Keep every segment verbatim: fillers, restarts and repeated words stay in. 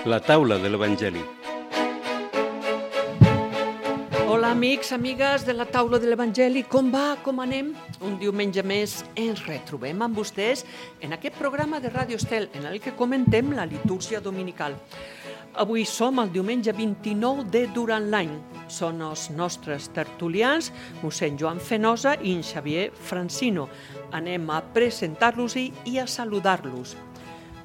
La taula de l'Evangeli. Hola amics, amigues de la taula de l'Evangeli, com va, com anem? Un diumenge més ens retrobem amb vostès en aquest programa de Ràdio Estel en el que comentem la litúrgia dominical. Avui som el diumenge vint-i-nou de durant l'any. Són els nostres tertulians, mossèn Joan Fenosa i en Xavier Francino. Anem a presentar-los-hi i a saludar-los.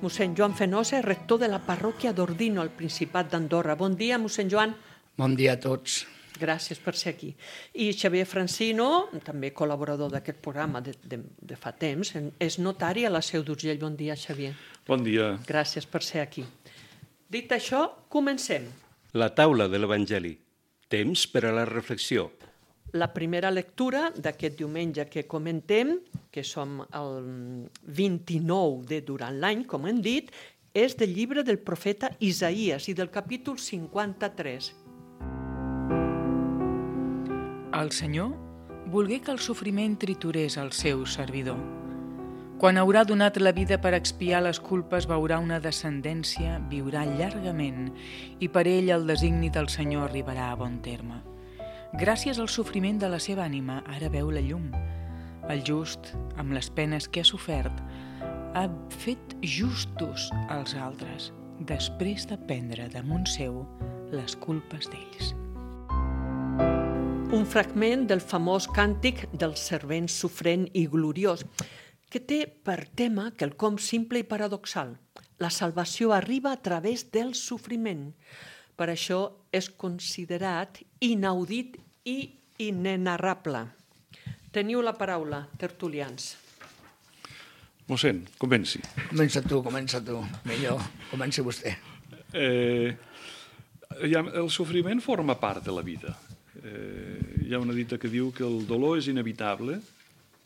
Mossèn Joan Fenosa és rector de la parròquia d'Ordino, al Principat d'Andorra. Bon dia, mossèn Joan. Bon dia a tots. Gràcies per ser aquí. I Xavier Francino, també col·laborador d'aquest programa de, de, de fa temps, és notari a la Seu d'Urgell. Bon dia, Xavier. Bon dia. Gràcies per ser aquí. Dit això, comencem. La taula de l'Evangeli. Temps per a la reflexió. La primera lectura d'aquest diumenge que comentem, que som el vint-i-nou de durant l'any, com hem dit, és del llibre del profeta Isaïes i del capítol cinquanta-tres. El Senyor volgué que el sofriment triturés el seu servidor. Quan haurà donat la vida per expiar les culpes, veurà una descendència, viurà llargament, i per ell el designi del Senyor arribarà a bon terme. Gràcies al sofriment de la seva ànima, ara veu la llum. El just, amb les penes que ha sofert, ha fet justos als altres, després de prendre damunt seu les culpes d'ells. Un fragment del famós càntic del servent sofrent i gloriós, que té per tema quelcom simple i paradoxal. La salvació arriba a través del sofriment. Per això és considerat inaudit i inenarrable. Teniu la paraula, tertulians. Mossèn, comenci. Comença tu, comença tu. Millor, comenci vostè. Eh, el sofriment forma part de la vida. Eh, hi ha una dita que diu que el dolor és inevitable,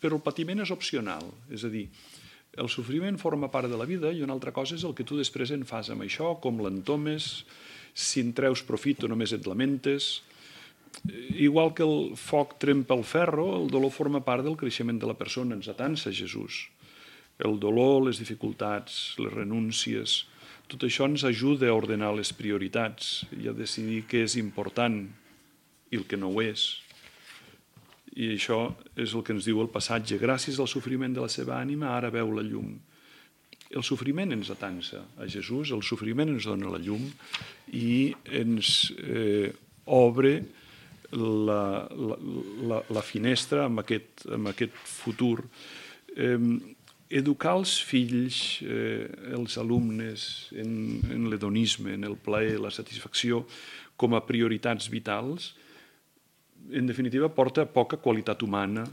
però el patiment és opcional. És a dir, el sofriment forma part de la vida i una altra cosa és el que tu després en fas amb això, com l'entomes, si en treus profit o només et lamentes. Igual que el foc trempa el ferro, el dolor forma part del creixement de la persona, ens atansa Jesús. El dolor, les dificultats, les renúncies, tot això ens ajuda a ordenar les prioritats i a decidir què és important i el que no ho és. I això és el que ens diu el passatge. Gràcies al sofriment de la seva ànima, ara veu la llum. El sofriment ens atansa a Jesús, el sofriment ens dona la llum i ens eh, obre la, la, la, la finestra amb aquest, amb aquest futur. Eh, educar els fills, eh, els alumnes, en, en l'hedonisme, en el plaer, la satisfacció, com a prioritats vitals, en definitiva, porta poca qualitat humana,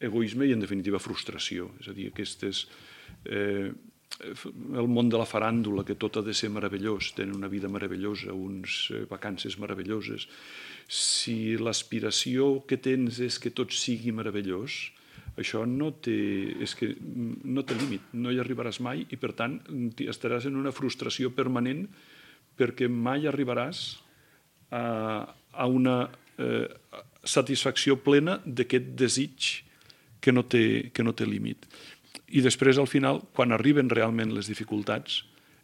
egoisme i, en definitiva, frustració. És a dir, aquestes, eh, el món de la faràndula, que tot ha de ser meravellós, tenen una vida meravellosa, uns eh, vacances meravelloses. Si l'aspiració que tens és que tot sigui meravellós, això no té, és que no té límit, no hi arribaràs mai i, per tant, estaràs en una frustració permanent perquè mai arribaràs a, a una Eh, satisfacció plena d'aquest desig que no té, que no té límit. I després, al final, quan arriben realment les dificultats,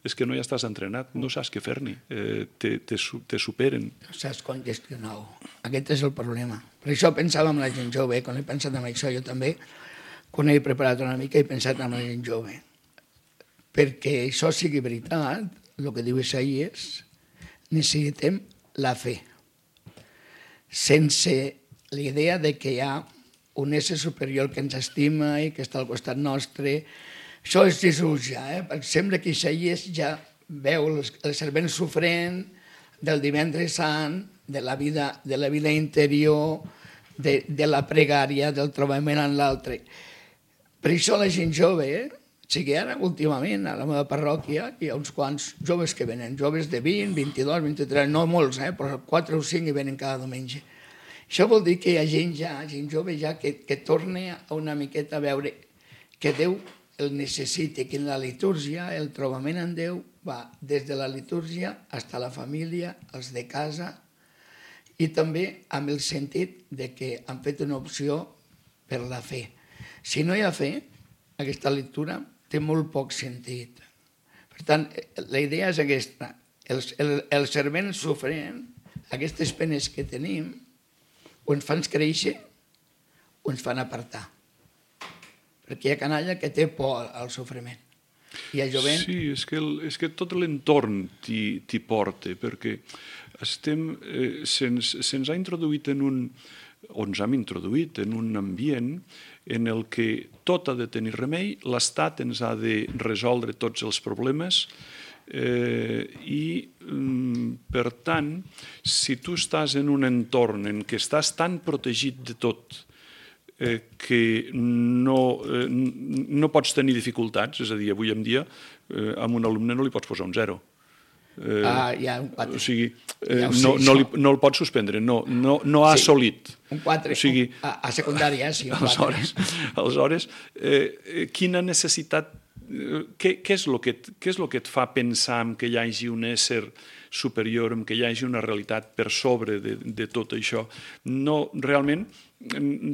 és que no ja estàs entrenat, no saps què fer-n'hi, eh, te, te, te superen. No saps com gestionar-ho. Aquest és el problema. Per això pensava en la gent jove, quan he pensat en això jo també, quan he preparat una mica he pensat en la gent jove. Perquè això sigui veritat, el que diu Isaïes, necessitem la fe. Sense la idea de que hi ha un ésser superior que ens estima i que està al costat nostre. Això és Jesús ja, eh? Perquè sembla que Isaïes ja veu el servent sofrent del divendres sant, de la vida, de la vida interior, de, de la pregària, del trobament amb l'altre. Per això la gent jove, eh? O sigui, ara últimament a la meva parròquia hi ha uns quants joves que venen, joves de vint, vint-i-dos, vint-i-tres, no molts, eh? Però quatre o cinc hi venen cada diumenge. Això vol dir que hi ha gent ja, gent jove ja, que, que torna una miqueta a veure que Déu el necessita, que en la litúrgia el trobament amb Déu va des de la litúrgia fins a la família, els de casa, i també amb el sentit de que han fet una opció per la fe. Si no hi ha fe, aquesta lectura té molt poc sentit. Per tant, la idea és aquesta. El, el, el servent sofrent, aquestes penes que tenim, o ens fan créixer o ens fan apartar. Perquè hi ha canalla que té por al sofriment. I el jovent... Sí, és que, el, és que tot l'entorn t'hi porta, perquè estem, eh, se'ns se ha introduït en un, o ens hem introduït en un ambient en el que tot ha de tenir remei, l'Estat ens ha de resoldre tots els problemes, eh, i per tant, si tu estàs en un entorn en què estàs tan protegit de tot eh, que no, eh, no pots tenir dificultats, és a dir, avui en dia eh, a un alumne no li pots posar un zero. Eh, ah, hi ha un quatre. O sigui, eh, ja no, no, li, no el pots suspendre, no, no, no ha sí, assolit. Un quatre, o sigui, a, a secundària, sí, un quatre. Aleshores, aleshores eh, quina necessitat, eh, què, què, és lo que, què és el que et fa pensar en que hi hagi un ésser superior, en que hi hagi una realitat per sobre de, de tot això? No, realment,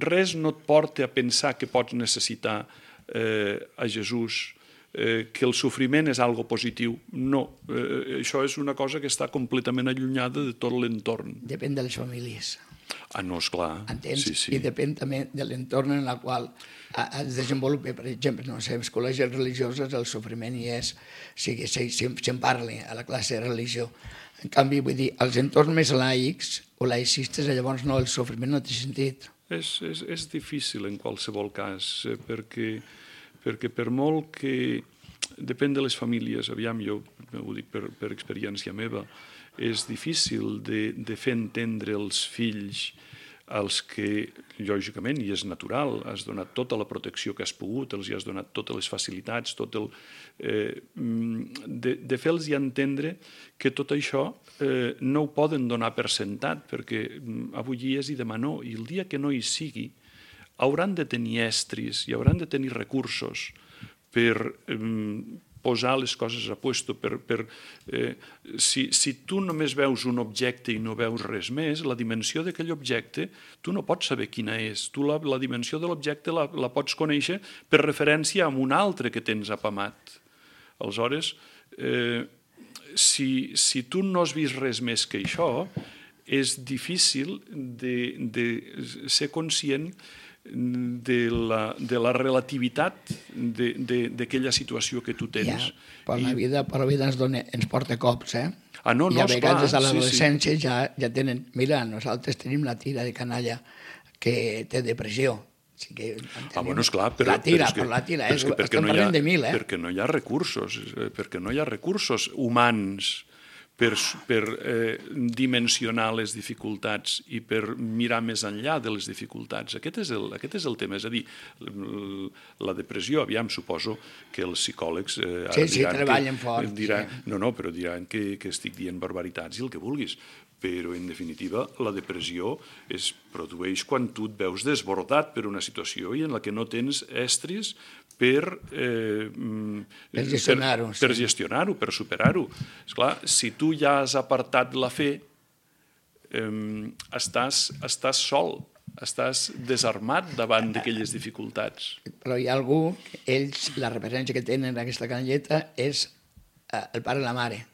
res no et porta a pensar que pots necessitar eh, a Jesús, Eh, que el sofriment és algo positiu. No, eh, això és una cosa que està completament allunyada de tot l'entorn. Depèn de les famílies. Ah, no, esclar. Entens? Sí, sí. I depèn també de l'entorn en el qual es desenvolupa. Per exemple, no sé, en les col·legis religioses el sofriment hi és, o sigui, se'n parla a la classe de religió. En canvi, vull dir, als entorns més laics o laicistes, llavors no, el sofriment no té sentit. És, és, és difícil en qualsevol cas, eh, perquè perquè per molt que depèn de les famílies, aviam, jo ho dic per, per experiència meva, és difícil de, de fer entendre els fills als que, lògicament, i és natural, has donat tota la protecció que has pogut, els has donat totes les facilitats, tot el, eh, de, de fer-los entendre que tot això eh, no ho poden donar per sentat, perquè avui dia és i demà no, i el dia que no hi sigui, hauran de tenir estris i hauran de tenir recursos per eh, posar les coses a puesto. Per, per, eh, si, si tu només veus un objecte i no veus res més, la dimensió d'aquell objecte tu no pots saber quina és. Tu la, la dimensió de l'objecte la, la pots conèixer per referència a un altre que tens apamat. Aleshores, eh, si, si tu no has vist res més que això, és difícil de, de ser conscient de la, de la relativitat d'aquella situació que tu tens. Ja, però la vida, però la vida ens, dona, ens porta cops, eh? Ah, no, no, I a vegades esclar, a l'adolescència sí, sí. ja, ja tenen... Mira, nosaltres tenim la tira de canalla que té depressió. O sigui, ah, bueno, esclar, però... La tira, però, que, però la tira, és, però estem no parlant ha, de mil, eh? Perquè no hi ha recursos, perquè no hi ha recursos humans per, per eh, dimensionar les dificultats i per mirar més enllà de les dificultats. Aquest és el, aquest és el tema. És a dir, la depressió, aviam, suposo que els psicòlegs eh, ara sí, sí, diran treballen que, fort. Diran, sí. No, no, però diran que, que estic dient barbaritats i el que vulguis. Però, en definitiva, la depressió es produeix quan tu et veus desbordat per una situació i en la que no tens estris per, eh, per gestionar-ho, per, per, sí. gestionar-ho, per superar-ho. Esclar, si tu ja has apartat la fe, eh, estàs, estàs sol, estàs desarmat davant d'aquelles dificultats. Però hi ha algú, ells, la referència que tenen en aquesta canalleta és el pare i la mare.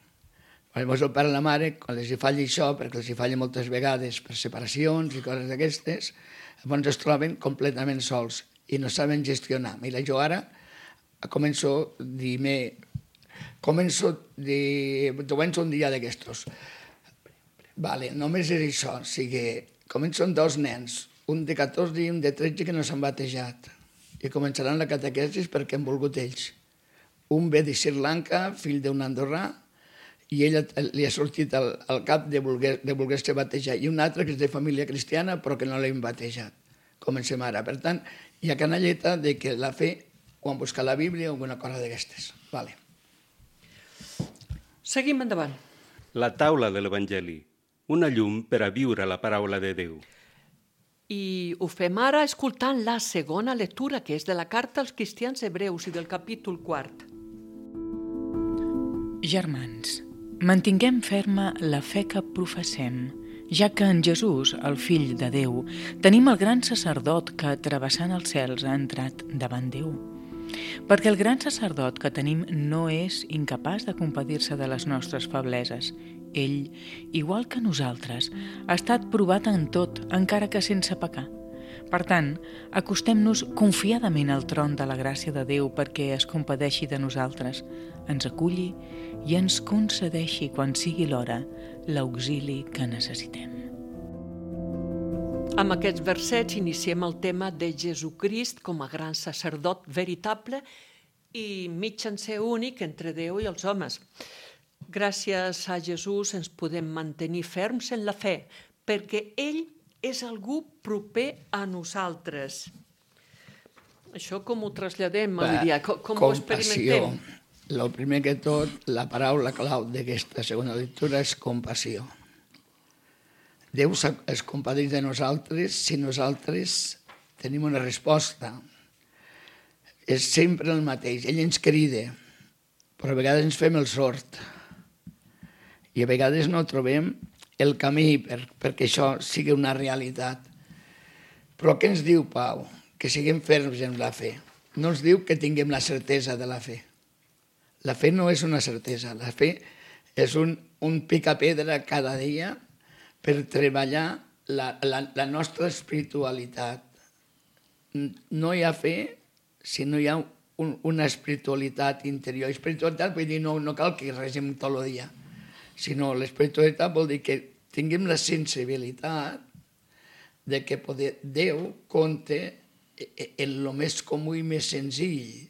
Llavors el pare i la mare, quan els hi falla això, perquè els hi falla moltes vegades per separacions i coses d'aquestes, llavors es troben completament sols i no saben gestionar. Mira, jo ara començo a dir-me, començo a dir, començo un dia d'aquestos. Vale, només és això, o sigui, començo amb dos nens, un de catorze i un de tretze que no s'han batejat, i començaran la catequesis perquè han volgut ells. Un ve de Sri Lanka, fill d'un andorrà, i ell li ha sortit al, al cap de voler, de voler-se batejar, i un altre que és de família cristiana però que no l'hem batejat. Comencem ara. Per tant, hi ha canalleta de que la fe o en buscar la Bíblia o alguna cosa d'aquestes. Vale. Seguim endavant. La taula de l'Evangeli, una llum per a viure la paraula de Déu. I ho fem ara escoltant la segona lectura, que és de la carta als cristians hebreus i del capítol quart. Germans, mantinguem ferma la fe que professem, ja que en Jesús, el Fill de Déu, tenim el gran sacerdot que, travessant els cels, ha entrat davant Déu. perquè el gran sacerdot que tenim no és incapaç de compadir-se de les nostres febleses. Ell, igual que nosaltres, ha estat provat en tot, encara que sense pecar. Per tant, acostem-nos confiadament al tron de la gràcia de Déu perquè es compadeixi de nosaltres, ens aculli i ens concedeixi, quan sigui l'hora, l'auxili que necessitem. Amb aquests versets iniciem el tema de Jesucrist com a gran sacerdot veritable i mitjancer únic entre Déu i els homes. Gràcies a Jesús ens podem mantenir ferms en la fe, perquè ell és algú proper a nosaltres. Això com ho traslladem, Lídia? Com, com ho experimentem? El primer que tot, la paraula clau d'aquesta segona lectura és compassió. Déu es compadeix de nosaltres si nosaltres tenim una resposta. És sempre el mateix. Ell ens crida, però a vegades ens fem el sord. I a vegades no trobem el camí per, perquè això sigui una realitat. Però què ens diu Pau? Que siguem ferms en la fe. No ens diu que tinguem la certesa de la fe. La fe no és una certesa. La fe és un, un picapedra cada dia per treballar la, la, la nostra espiritualitat. No hi ha fe si no hi ha un, una espiritualitat interior. Espiritualitat vull dir no, no cal que regem tot el dia, sinó l'espiritualitat vol dir que tinguem la sensibilitat de que poder, Déu compte en el més comú i més senzill.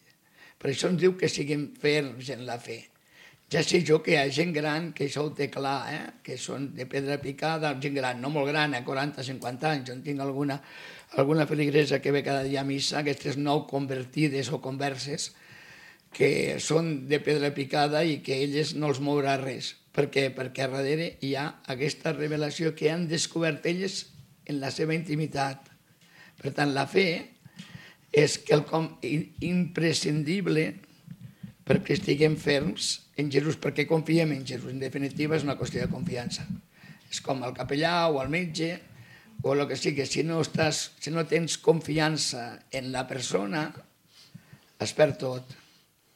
Per això ens diu que siguem ferms en la fe. Ja sé jo que hi ha gent gran que això ho té clar, eh? Que són de pedra picada, gent gran, no molt gran, a quaranta a cinquanta anys. Jo en tinc alguna, alguna feligresa que ve cada dia a missa, aquestes nou convertides o converses, que són de pedra picada i que elles no els mourà res. Per què? Perquè a darrere hi ha aquesta revelació que han descobert elles en la seva intimitat. Per tant, la fe és quelcom imprescindible perquè estiguem ferms en Jesús, perquè confiem en Jesús. En definitiva, és una qüestió de confiança. És com el capellà o el metge o el que sigui. Si no, estàs, si no tens confiança en la persona, es perd tot.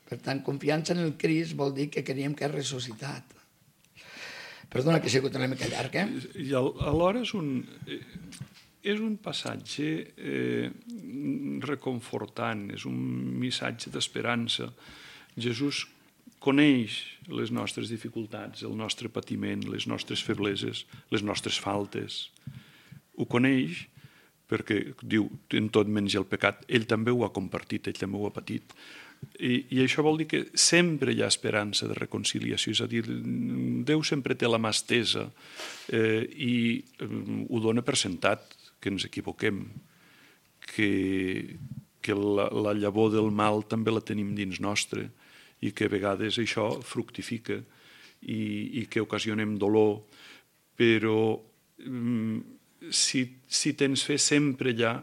Per tant, confiança en el Crist vol dir que creiem que és ressuscitat. Perdona que ha sigut una mica llarg, eh? I alhora és un, és un passatge eh, reconfortant, és un missatge d'esperança. Jesús coneix les nostres dificultats, el nostre patiment, les nostres febleses, les nostres faltes. Ho coneix perquè diu, en tot menys el pecat, ell també ho ha compartit, ell també ho ha patit. I, i això vol dir que sempre hi ha esperança de reconciliació, és a dir, Déu sempre té la mà estesa eh, i eh, ho dona per sentat, que ens equivoquem, que, que la, la llavor del mal també la tenim dins nostre, i que a vegades això fructifica i, i que ocasionem dolor, però mm, si, si tens fe sempre hi ha,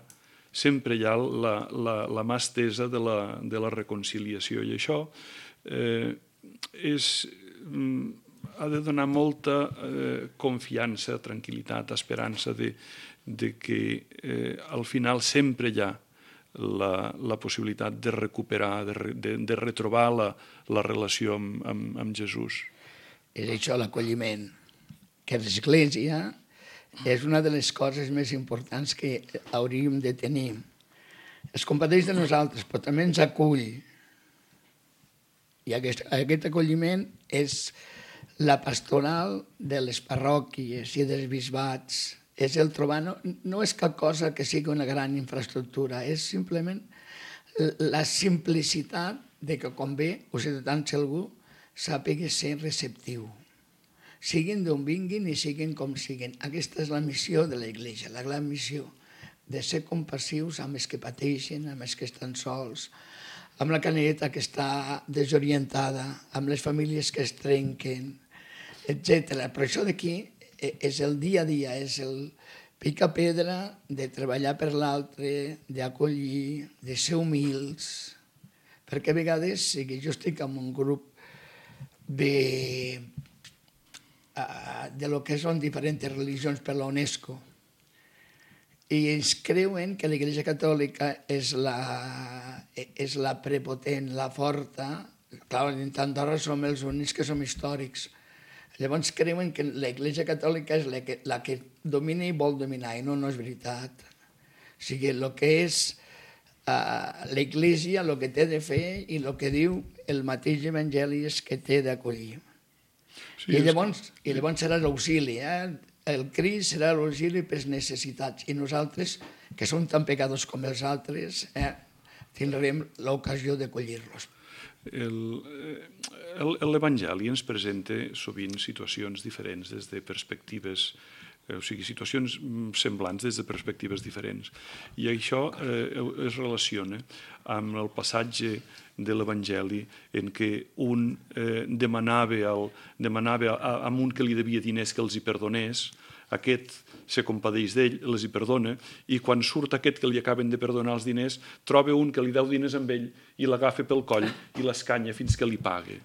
sempre hi ha la, la, la mà estesa de la, de la reconciliació, i això eh, és, mm, ha de donar molta eh, confiança, tranquil·litat, esperança de, de que eh, al final sempre hi ha La, la possibilitat de recuperar, de, de, de retrobar la, la relació amb, amb, amb Jesús. És això l'acolliment, que l'Església és una de les coses més importants que hauríem de tenir. Es compadeix de nosaltres, però també ens acull. I aquest, aquest acolliment és la pastoral de les parròquies i dels bisbats. És el trobar, no, no és cap cosa que sigui una gran infraestructura, és simplement la simplicitat de que quan ve o si tant si algú sàpiga ser receptiu. Siguin d'on vinguin i siguin com siguin. Aquesta és la missió de l'Església, la gran missió, de ser compassius amb els que pateixen, amb els que estan sols, amb la caneta que està desorientada, amb les famílies que es trenquen, etcètera. Però això d'aquí és el dia a dia, és el pica-pedra de treballar per l'altre, d'acollir, de ser humils, perquè a vegades, si jo estic en un grup de, de lo que són diferents religions per la UNESCO, i ells creuen que l'Església Catòlica és la, és la prepotent, la forta. Clar, en Andorra som els únics que som històrics. Llavors creuen que l'Església Catòlica és la que, la que domina i vol dominar, i no, no és veritat. O sigui, el que és uh, l'Església, el que té de fer i el que diu el mateix Evangeli és que té d'acollir. Sí, I, llavors, I llavors serà l'auxili, eh? El Crist serà l'auxili per les necessitats, i nosaltres, que som tan pecadors com els altres, eh, tindrem l'ocasió d'acollir-los. L'Evangeli ens presenta sovint situacions diferents des de perspectives, o sigui, situacions semblants des de perspectives diferents. I això eh, es relaciona amb el passatge de l'Evangeli en què un eh, demanava, al, demanava a, a un que li devia diners que els hi perdonés, aquest se compadeix d'ell, els hi perdona, i quan surt aquest que li acaben de perdonar els diners, troba un que li deu diners amb ell i l'agafa pel coll i l'escanya fins que li pague.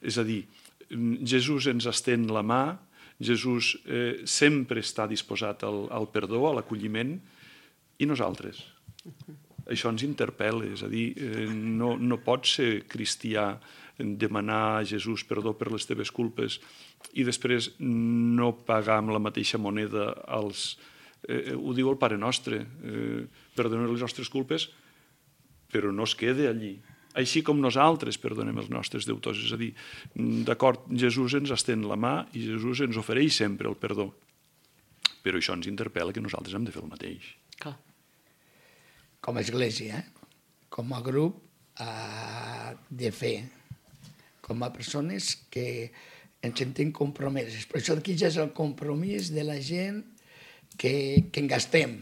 És a dir, Jesús ens estén la mà, Jesús eh, sempre està disposat al, al perdó, a l'acolliment, i nosaltres. Això ens interpel·la, és a dir, eh, no, no pots ser cristià, demanar a Jesús perdó per les teves culpes i després no pagar amb la mateixa moneda als... Eh, ho diu el Pare Nostre, eh, perdonar les nostres culpes, però no es queda allí. Així com nosaltres perdonem els nostres deutors. És a dir, d'acord, Jesús ens estén la mà i Jesús ens ofereix sempre el perdó. Però això ens interpel·la que nosaltres hem de fer el mateix. Clar. Com a església, eh? Com a grup eh, de fe, com a persones que ens sentim compromeses. Per això aquí ja és el compromís de la gent que, que en gastem.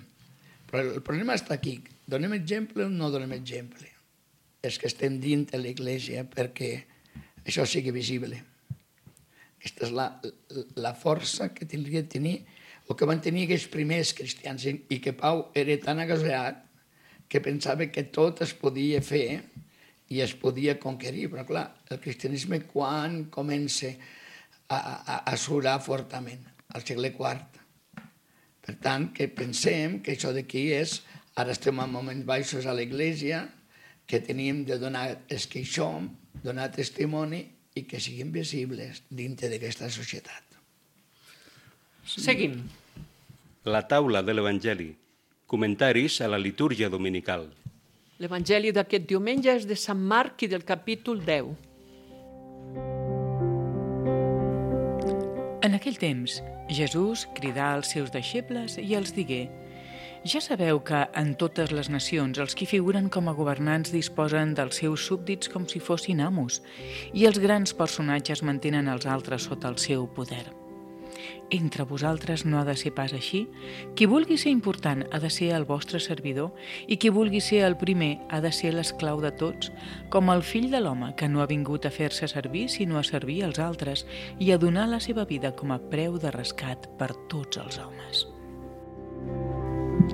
Però el problema està aquí. Donem exemple o no donem exemple? És que estem dins de l'Església perquè això sigui visible. Aquesta és la, la força que tindria de tenir o que van tenir aquests primers cristians, i que Pau era tan agasallat que pensava que tot es podia fer i es podia conquerir. Però clar, el cristianisme quan comença a, a, a surar fortament? Al segle quart. Per tant, que pensem que això d'aquí és, ara estem en moments baixos a l'Església, que tenim de donar els que hi som, donar testimoni i que siguin visibles dintre d'aquesta societat. Seguim. La taula de l'Evangeli. Comentaris a la litúrgia dominical. L'Evangeli d'aquest diumenge és de Sant Marc i del capítol deu. En aquell temps, Jesús cridà als seus deixebles i els digué: ja sabeu que en totes les nacions els qui figuren com a governants disposen dels seus súbdits com si fossin amos, i els grans personatges mantenen els altres sota el seu poder. Entre vosaltres no ha de ser pas així. Qui vulgui ser important ha de ser el vostre servidor, i qui vulgui ser el primer ha de ser l'esclau de tots, com el fill de l'home, que no ha vingut a fer-se servir sinó a servir els altres i a donar la seva vida com a preu de rescat per tots els homes.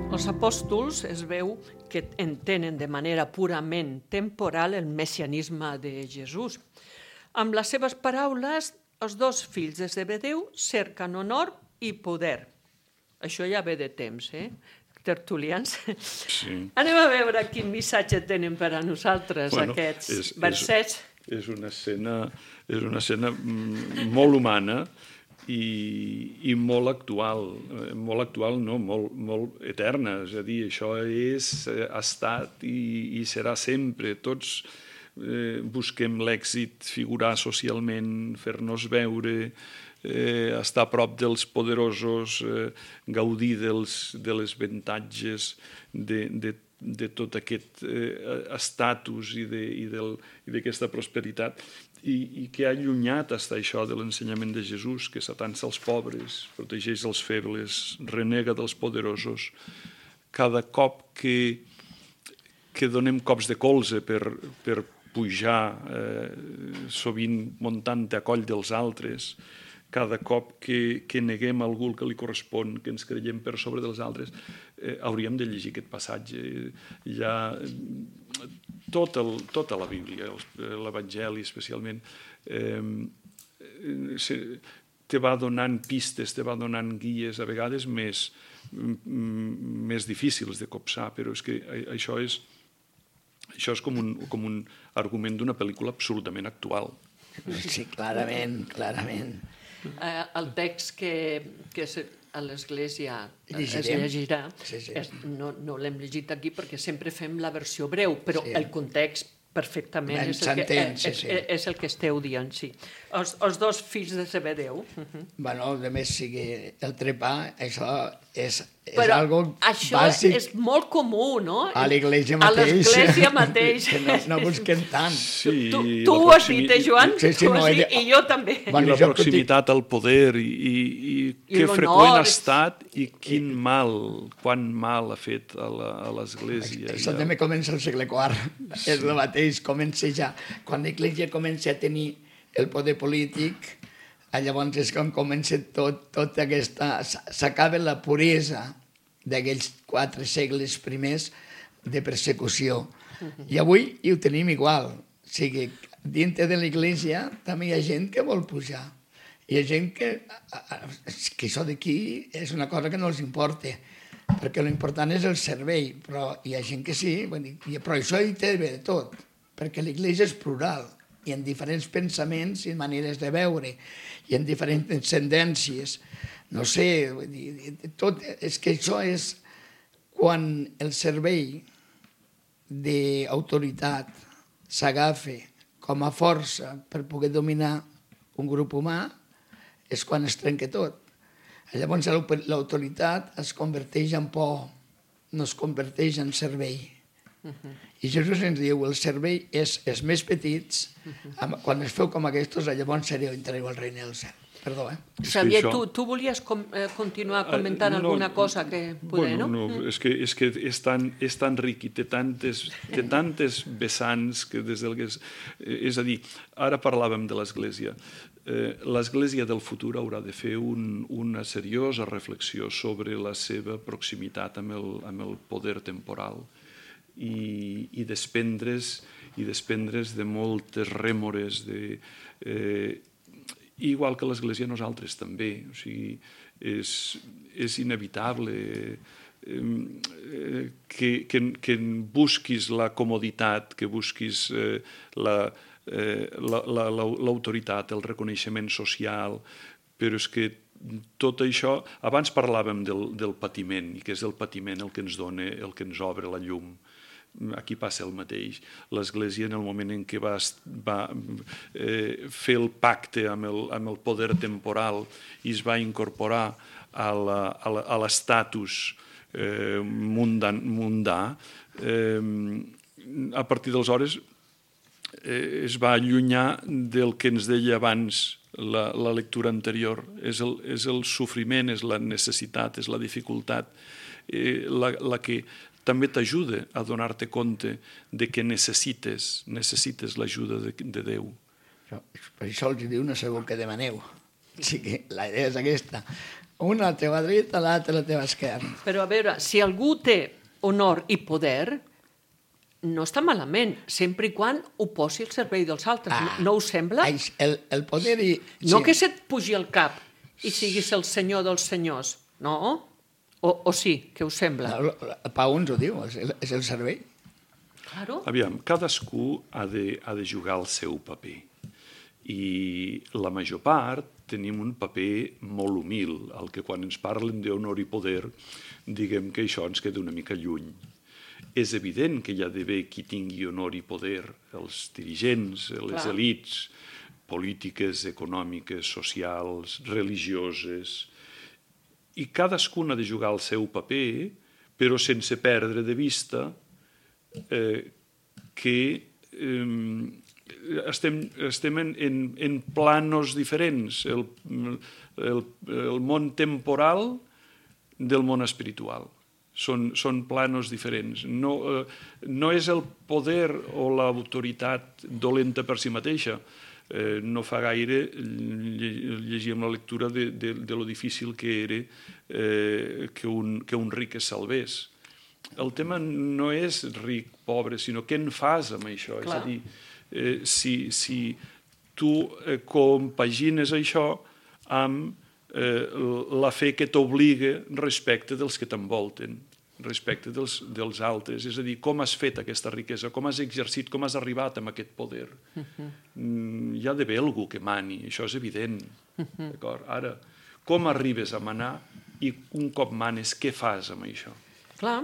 Els apòstols es veu que entenen de manera purament temporal el messianisme de Jesús. Amb les seves paraules, els dos fills de Zebedeu cerquen honor i poder. Això ja ve de temps, eh? Tertulians. Sí. Anem a veure quin missatge tenen per a nosaltres, bueno, aquests és, versets. És, és, una escena, és una escena molt humana i, i molt actual. Molt actual, no, molt, molt eterna. És a dir, això és, ha estat i, i serà sempre. Tots Eh, busquem l'èxit, figurar socialment, fer-nos veure, eh, estar a prop dels poderosos, eh, gaudir dels, de les avantatges de, de, de tot aquest eh, estatus i d'aquesta de, prosperitat, i, i que ha allunyat està això de l'ensenyament de Jesús, que s'atança als pobres, protegeix els febles, renega dels poderosos. Cada cop que, que donem cops de colze per, per pujar, eh, sovint muntant a coll dels altres, cada cop que, que neguem a algú que li correspon, que ens creiem per sobre dels altres, eh, hauríem de llegir aquest passatge. Hi ha tot el, tota la Bíblia, l'Evangeli especialment, eh, se, te va donant pistes, te va donant guies, a vegades més, més difícils de copsar, però és que això és, això és com un, com un argument d'una pel·lícula absolutament actual. Sí, clarament, clarament. Eh, el text que, que a l'Església es Llegirem. llegirà, Sí, sí. és, no, no l'hem llegit aquí perquè sempre fem la versió breu, però Sí. el context perfectament Ben és el, que, s'entén, sí, és, sí. és el que esteu dient, sí. Els, els dos fills de Zebedeu. Uh-huh. Bueno, a més, sigui el trepar, això és, és Però algo això bàsic és molt comú, no? a l'església A mateix. l'església mateix. Que no, no busquem tant. Sí, tu i tu la ho has proximi- dit, eh, Joan? Sí, sí, Tu ho no, has he dit, de- i jo també. Bueno, I la jo que proximitat al poder i, i, i I que l'honor. freqüent ha estat i quin mal, quan mal ha fet a la- a l'Església. Això Ja. també comença al segle quart. Sí. És el mateix, comença ja. Quan l'Església comença a tenir el poder polític, llavors és quan comença tot, tot aquesta... S'acaba la puresa d'aquells quatre segles primers de persecució. I avui hi ho tenim igual. O sigui, dintre de l'Església també hi ha gent que vol pujar. Hi ha gent que... que això d'aquí és una cosa que no els importa, perquè l'important és el servei, però hi ha gent que sí, però això hi té de tot, perquè l'Església és plural, i en diferents pensaments i maneres de veure, i en diferents tendències. No sé, vull dir, tot, és que això és quan el servei d'autoritat s'agafa com a força per poder dominar un grup humà, és quan es trenca tot. Llavors l'autoritat es converteix en por, no es converteix en servei. Uh-huh. I Jesús ens diu, el servei és els més petits, uh-huh. quan es feu com aquests, llavors sereu, entrareu al regne del cel. Perdó, eh? Xavier, això... tu, tu volies com, eh, continuar comentant Uh, no, alguna cosa que poder, bueno, no? no? És que, és, que és, tan, és tan ric i té tantes, té tantes vessants que des del que és... És a dir, ara parlàvem de l'Església. Eh, L'Església del futur haurà de fer un, una seriosa reflexió sobre la seva proximitat amb el, amb el poder temporal i, i desprendre's, i desprendre's de moltes rèmores, de... Eh, igual que l'Església nosaltres també, o sigui, és, és inevitable eh, que, que, que busquis la comoditat, que busquis eh, la, eh, la, la, l'autoritat, el reconeixement social, però és que tot això... Abans parlàvem del, del patiment, i que és el patiment el que ens dona, el que ens obre la llum. Aquí passa el mateix. L'Església, en el moment en què va, va eh, fer el pacte amb el, amb el poder temporal i es va incorporar a l'estatus eh, mundan, mundà, eh, a partir d'aleshores eh, es va allunyar del que ens deia abans la, la lectura anterior. És el, és el sofriment, és la necessitat, és la dificultat, eh, la, la que també t'ajuda a donar-te compte de que necessites, necessites l'ajuda de, de Déu. Per això els diu no sabeu què demaneu. O sigui, la idea és aquesta. Una a la teva dreta, l'altra a la teva esquerra. Però a veure, si algú té honor i poder, no està malament, sempre i quan ho posi al servei dels altres. Ah, no us sembla? El, el poder i... No sí. Que se't pugi al cap i siguis el senyor dels senyors, no? O, o sí, què us sembla? No, el Pau ens ho diu, és el, és el servei. Claro. Aviam, cadascú ha de, ha de jugar el seu paper. I la major part tenim un paper molt humil, el que quan ens parlen d'honor i poder, diguem que això ens queda una mica lluny. És evident que hi ha d'haver qui tingui honor i poder, els dirigents, les Clar. Elits, polítiques, econòmiques, socials, religioses... I cadascun ha de jugar el seu paper, però sense perdre de vista eh, que eh, estem, estem en, en, en planos diferents, el, el, el món temporal del món espiritual. Són, són planos diferents. No, eh, no és el poder o l'autoritat dolenta per si mateixa. Eh, no fa gaire llegíem la lectura de, de, de lo difícil que era eh, que, un, que un ric es salvés. El tema no és ric, pobre, sinó què en fas amb això. Clar. És a dir, eh, si, si tu eh, compagines això amb eh, la fe que t'obliga respecte dels que t'envolten, respecte dels, dels altres, és a dir, com has fet aquesta riquesa, com has exercit, com has arribat amb aquest poder. Uh-huh. Mm, hi ha d'haver algú que mani, això és evident. Uh-huh. D'acord? Ara, com arribes a manar i un cop manes, què fas amb això? Clar,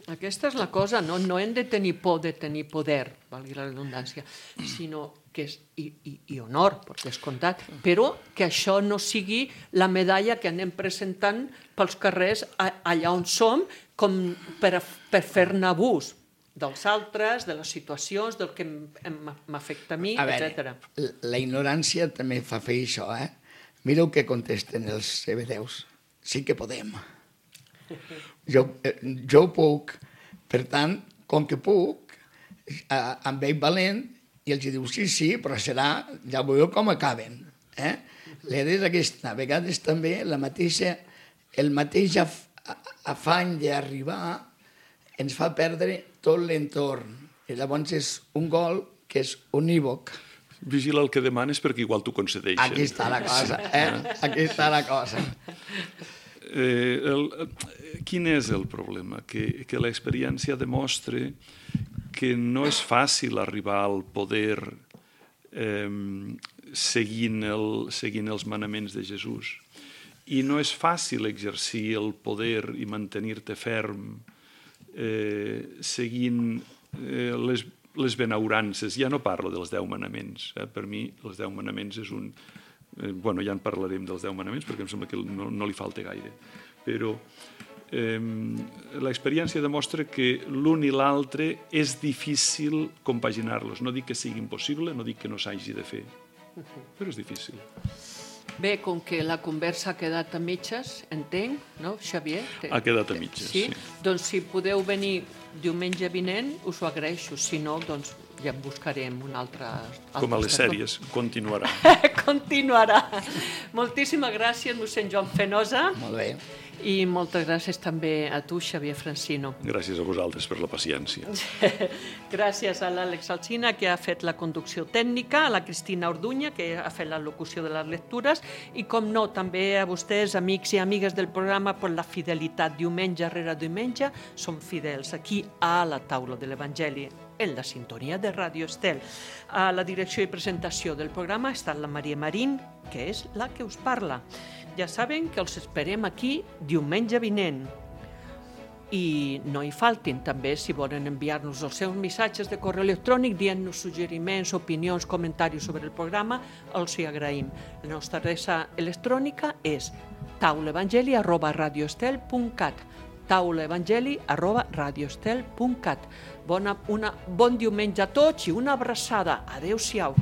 aquesta és la cosa, no, no hem de tenir por de tenir poder, valgui la redundància, sinó que és, i, i, i honor, per descomptat, però que això no sigui la medalla que anem presentant pels carrers allà on som, com per, per fer-ne abús dels altres, de les situacions, del que m'afecta a mi, a veure, etcètera. La ignorància també fa fer això, eh? Mireu què contesten els hebedeus. Sí que podem. Jo, jo ho puc. Per tant, com que puc, eh, em veig valent i els diu, sí, sí, però serà, ja veureu com acaben. Eh? L'idea és aquesta. A vegades també la mateixa, el mateix af, afany d'arribar ens fa perdre tot l'entorn. I llavors és un gol que és unívoc. Vigila el que demanes perquè igual t'ho concedeixen. Aquí està la cosa, eh? Aquí està la cosa. Eh, el, quin és el problema? Que, que l'experiència demostra que no és fàcil arribar al poder eh, seguint, el, seguint els manaments de Jesús. I no és fàcil exercir el poder i mantenir-te ferm eh, seguint eh, les, les benaurances. Ja no parlo dels deu manaments. Eh? Per mi, els deu manaments és un... Eh, bueno, ja en parlarem dels deu manaments perquè em sembla que no, no li falta gaire. Però eh, l'experiència demostra que l'un i l'altre és difícil compaginar-los. No dic que sigui impossible, no dic que no s'hagi de fer, però és difícil. Bé, com que la conversa ha quedat a mitges, entenc, no, Xavier? Ha quedat a mitges, sí. sí. Doncs si podeu venir diumenge vinent, us ho agraeixo. Si no, doncs ja en buscarem un altre... Com a les sèries, continuarà. Continuarà. Moltíssimes gràcies, mossèn Joan Fenosa. Molt bé. I moltes gràcies també a tu, Xavier Francino. Gràcies a vosaltres per la paciència. Gràcies a l'Àlex Alsina, que ha fet la conducció tècnica, a la Cristina Orduña, que ha fet la locució de les lectures, i, com no, també a vostès, amics i amigues del programa, per la fidelitat diumenge rere diumenge. Som fidels aquí a la taula de l'Evangeli, en la sintonia de Ràdio Estel. A la direcció i presentació del programa ha estat la Maria Marín, que és la que us parla. Ja saben que els esperem aquí diumenge vinent. I no hi faltin també, si volen enviar-nos els seus missatges de correu electrònic dient-nos suggeriments, opinions, comentaris sobre el programa, els hi agraïm. La nostra adreça electrònica és taulaevangeli arroba radioestel punt cat taulaevangeli arroba radioestel punt cat. Bona, una, bon diumenge a tots i una abraçada. Adéu-siau.